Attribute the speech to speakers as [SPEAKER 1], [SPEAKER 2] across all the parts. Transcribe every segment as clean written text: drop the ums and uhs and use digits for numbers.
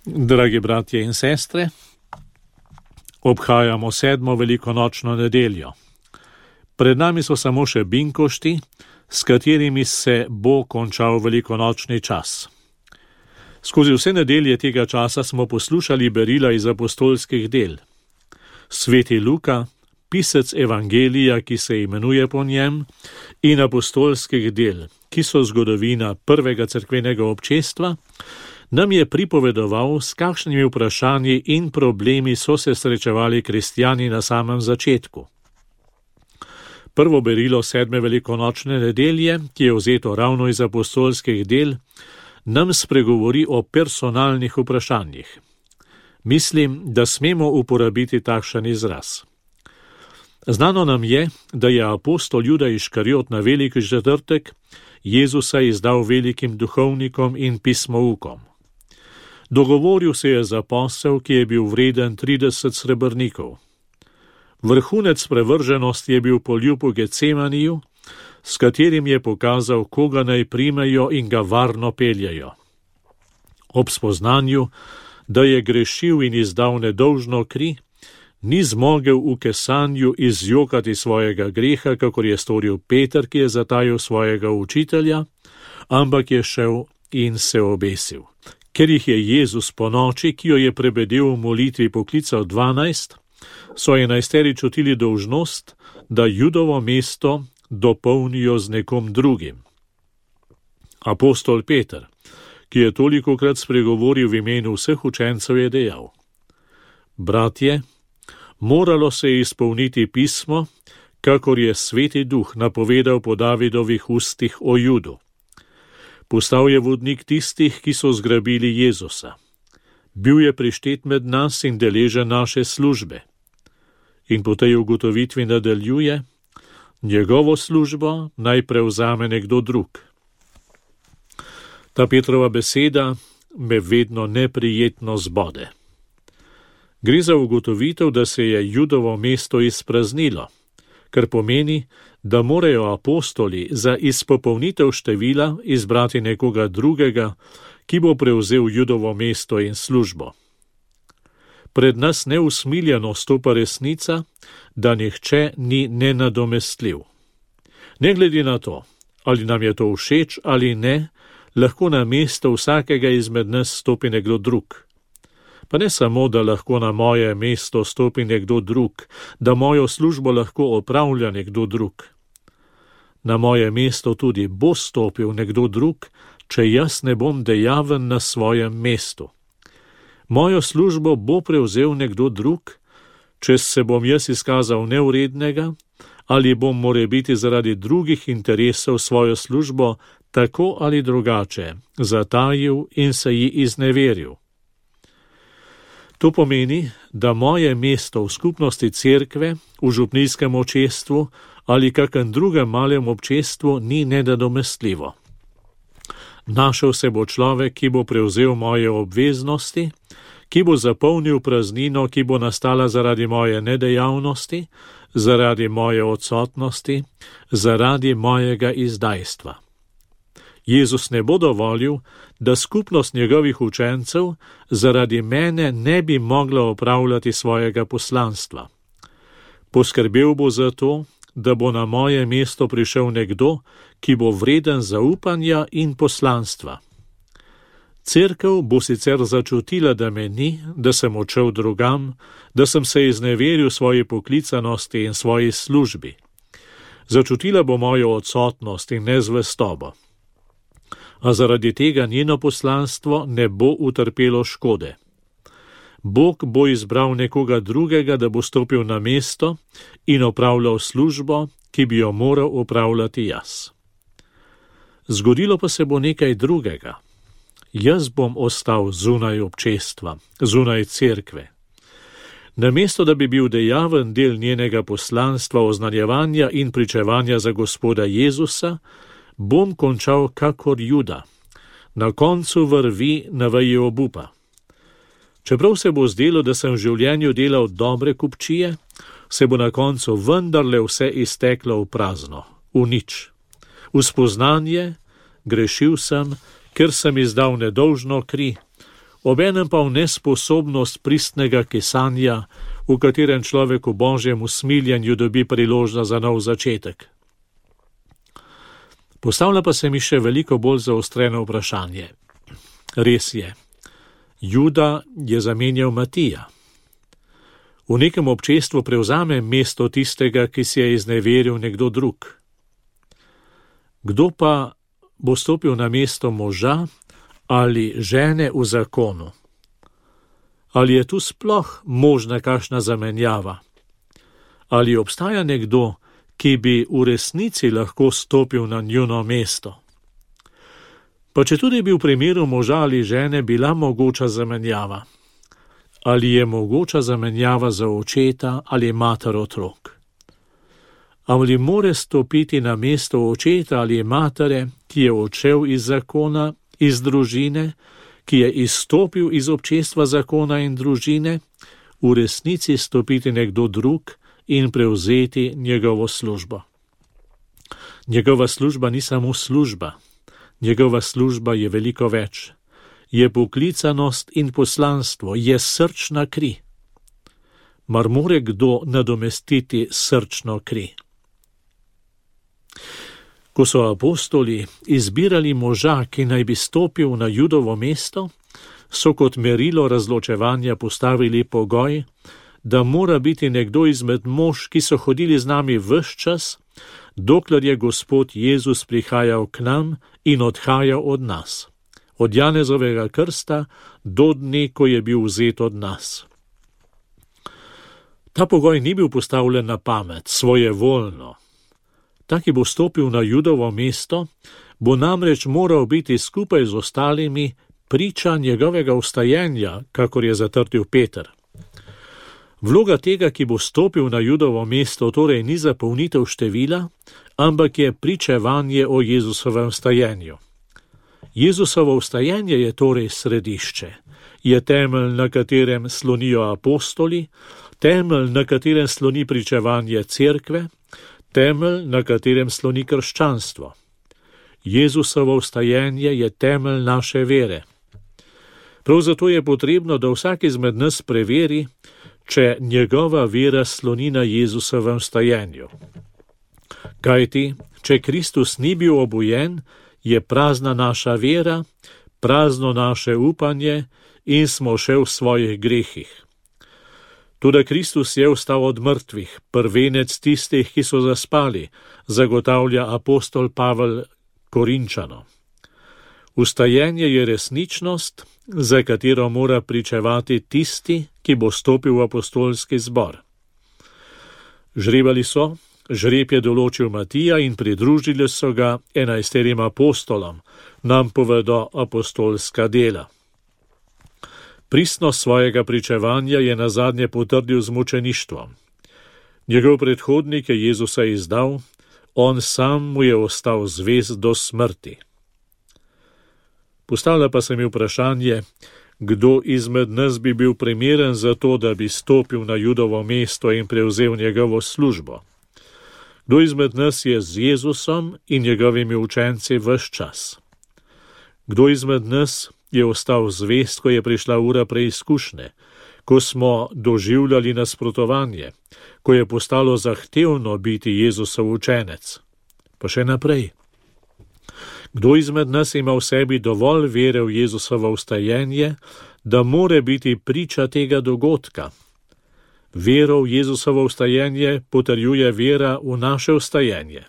[SPEAKER 1] Dragi bratje in sestre, obhajamo 7. velikonočno nedeljo. Pred nami so samo še binkošti, s katerimi se bo končal velikonočni čas. Skozi vse nedelje tega časa smo poslušali berila iz apostolskih del. Sveti Luka, pisec evangelija, ki se imenuje po njem, in apostolskih del, ki so zgodovina prvega cerkvenega občestva, nam je pripovedoval, s kakšnimi vprašanji in problemi so se srečevali kristjani na samem začetku. Prvo berilo 7. velikonočne nedelje, ki je vzeto ravno iz apostolskih del, nam spregovori o personalnih vprašanjih. Mislim, da smemo uporabiti takšen izraz. Znano nam je, da je apostol Juda Iškariot na veliki četrtek Jezusa izdal velikim duhovnikom in pismoukom. Dogovoril se je za posel, ki je bil vreden 30 srebrnikov. Vrhunec prevrženosti je bil poljub v Getsemaniju, s katerim je pokazal, koga naj primejo in ga varno peljajo. Ob spoznanju, da je grešil in izdal nedolžno kri, ni zmogel v kesanju izjokati svojega greha, kakor je storil Peter, ki je zatajil svojega učitelja, ampak je šel in se obesil. Ker jih je Jezus po noči, ki jo je prebedel v molitvi, poklical 12, so 11 čutili dolžnost, da Judovo mesto dopolnijo z nekom drugim. Apostol Peter, ki je tolikokrat spregovoril v imenu vseh učencev, je dejal: Bratje, moralo se je izpolniti pismo, kakor je Sveti Duh napovedal po Davidovih ustih o Judu. Postal je vodnik tistih, ki so zgrabili Jezusa. Bil je prištet med nas in deležen naše službe. In po tej ugotovitvi nadaljuje: njegovo službo naj prevzame nekdo drug. Ta Petrova beseda me vedno neprijetno zbode. Gre za ugotovitev, da se je Judovo mesto izpraznilo, kar pomeni, da morajo apostoli za izpopolnitev števila izbrati nekoga drugega, ki bo prevzel Judovo mesto in službo. Pred nas neusmiljeno stopa resnica, da nihče ni nenadomestljiv. Ne glede na to, ali nam je to všeč ali ne, lahko na mesto vsakega izmed nas stopi nekdo drug. Pa ne samo, da lahko na moje mesto stopi nekdo drug, da mojo službo lahko opravlja nekdo drug. Na moje mesto tudi bo stopil nekdo drug, če jaz ne bom dejaven na svojem mestu. Mojo službo bo prevzel nekdo drug, če se bom jaz izkazal nevrednega, ali bom morebiti zaradi drugih interesov svojo službo tako ali drugače zatajil in se ji izneveril. To pomeni, da moje mesto v skupnosti cerkve, v župnijskem občestvu ali kakem drugem malem občestvu ni nenadomestljivo. Našel se bo človek, ki bo prevzel moje obveznosti, ki bo zapolnil praznino, ki bo nastala zaradi moje nedejavnosti, zaradi moje odsotnosti, zaradi mojega izdajstva. Jezus ne bo dovolil, da skupnost njegovih učencev zaradi mene ne bi mogla opravljati svojega poslanstva. Poskrbel bo za to, da bo na moje mesto prišel nekdo, ki bo vreden zaupanja in poslanstva. Cerkev bo sicer začutila, da me ni, da sem odšel drugam, da sem se izneveril svoji poklicanosti in svoji službi. Začutila bo mojo odsotnost in nezvestobo. A zaradi tega njeno poslanstvo ne bo utrpelo škode. Bog bo izbral nekoga drugega, da bo stopil na mesto in opravljal službo, ki bi jo moral opravljati jaz. Zgodilo pa se bo nekaj drugega. Jaz bom ostal zunaj občestva, zunaj cerkve. Namesto da bi bil dejaven del njenega poslanstva oznanjevanja in pričevanja za Gospoda Jezusa, bom končal kakor Juda, na koncu vrvi na veji obupa. Čeprav se bo zdelo, da sem v življenju delal dobre kupčije, se bo na koncu vendarle vse izteklo v prazno, v nič. V spoznanje, grešil sem, ker sem izdal nedolžno kri, obenem pa v nesposobnost pristnega kesanja, v katerem človek v Božjem usmiljenju dobi priložnost za nov začetek. Postavlja pa se mi še veliko bolj zaostreno vprašanje. Res je, Juda je zamenjal Matija. V nekem občestvu prevzame mesto tistega, ki si je izneveril nekdo drug. Kdo pa bo stopil na mesto moža ali žene v zakonu? Ali je tu sploh možna kakšna zamenjava? Ali obstaja nekdo, ki bi v resnici lahko stopil na njuno mesto? Pa četudi bi v primeru moža ali žene bila mogoča zamenjava. Ali je mogoča zamenjava za očeta ali mater otrok? Ali more stopiti na mesto očeta ali matere, ki je odšel iz zakona, iz družine, ki je izstopil iz občestva zakona in družine, v resnici stopiti nekdo drug in prevzeti njegovo službo? Njegova služba ni samo služba. Njegova služba je veliko več. Je poklicanost in poslanstvo, je srčna kri. Mar more kdo nadomestiti srčno kri? Ko so apostoli izbirali moža, ki naj bi stopil na Judovo mesto, so kot merilo razločevanja postavili pogoj, da mora biti nekdo izmed mož, ki so hodili z nami ves čas, dokler je Gospod Jezus prihajal k nam in odhajal od nas, od Janezovega krsta do dne, ko je bil vzet od nas. Ta pogoj ni bil postavljen na pamet, svojevoljno. Ta, ki bo stopil na Judovo mesto, bo namreč moral biti skupaj z ostalimi priča njegovega vstajenja, kakor je zatrdil Peter. Vloga tega, ki bo stopil na Judovo mesto, torej ni zapolnitev števila, ampak je pričevanje o Jezusovem vstajenju. Jezusovo vstajenje je torej središče, je temelj, na katerem slonijo apostoli, temelj, na katerem sloni pričevanje cerkve, temelj, na katerem sloni krščanstvo. Jezusovo vstajenje je temelj naše vere. Prav zato je potrebno, da vsak izmed nas preveri, če njegova vera sloni na Jezusovem vstajenju. Kajti, če Kristus ni bil obujen, je prazna naša vera, prazno naše upanje in smo še v svojih grehih. Toda Kristus je vstal od mrtvih, prvenec tistih, ki so zaspali, zagotavlja apostol Pavel Korinčanom. Vstajenje je resničnost, za katero mora pričevati tisti, ki bo stopil v apostolski zbor. Žrebali so, žreb je določil Matija in pridružili so ga 11 apostolom, nam povedo apostolska dela. Pristnost svojega pričevanja je nazadnje potrdil z mučeništvom. Njegov predhodnik je Jezusa izdal, on sam mu je ostal zvest do smrti. Postavlja pa se mi vprašanje, kdo izmed nas bi bil primeren za to, da bi stopil na Judovo mesto in prevzel njegovo službo. Kdo izmed nas je z Jezusom in njegovimi učenci ves čas? Kdo izmed nas je ostal zvest, ko je prišla ura preizkušnje, ko smo doživljali nasprotovanje, ko je postalo zahtevno biti Jezusov učenec? Pa še naprej. Kdo izmed nas ima v sebi dovolj vere v Jezusovo vstajenje, da more biti priča tega dogodka? Vero v Jezusovo vstajenje potrjuje vera v naše vstajenje.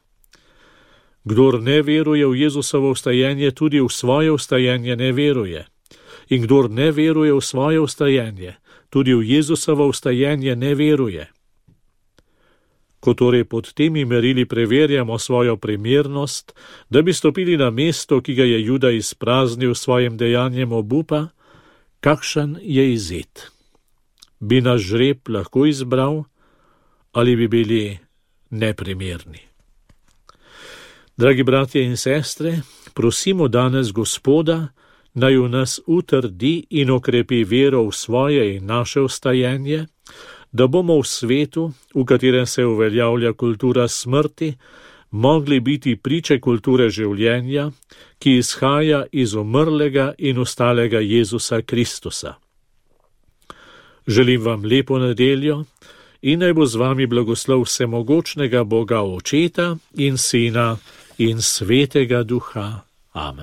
[SPEAKER 1] Kdor ne veruje v Jezusovo vstajenje, tudi v svoje vstajenje ne veruje. In kdor ne veruje v svoje vstajenje, tudi v Jezusovo vstajenje ne veruje. Ko torej pod temi merili preverjamo svojo primernost, da bi stopili na mesto, ki ga je Juda izpraznil s svojim dejanjem obupa, kakšen je izid? Bi naš žreb lahko izbral ali bi bili neprimerni? Dragi bratje in sestre, prosimo danes Gospoda, naj v nas utrdi in okrepi vero v svoje in naše vstajenje, da bomo v svetu, v katerem se uveljavlja kultura smrti, mogli biti priče kulture življenja, ki izhaja iz umrlega in ostalega Jezusa Kristusa. Želim vam lepo nedeljo in naj bo z vami blagoslov vsemogočnega Boga Očeta in Sina in Svetega Duha. Amen.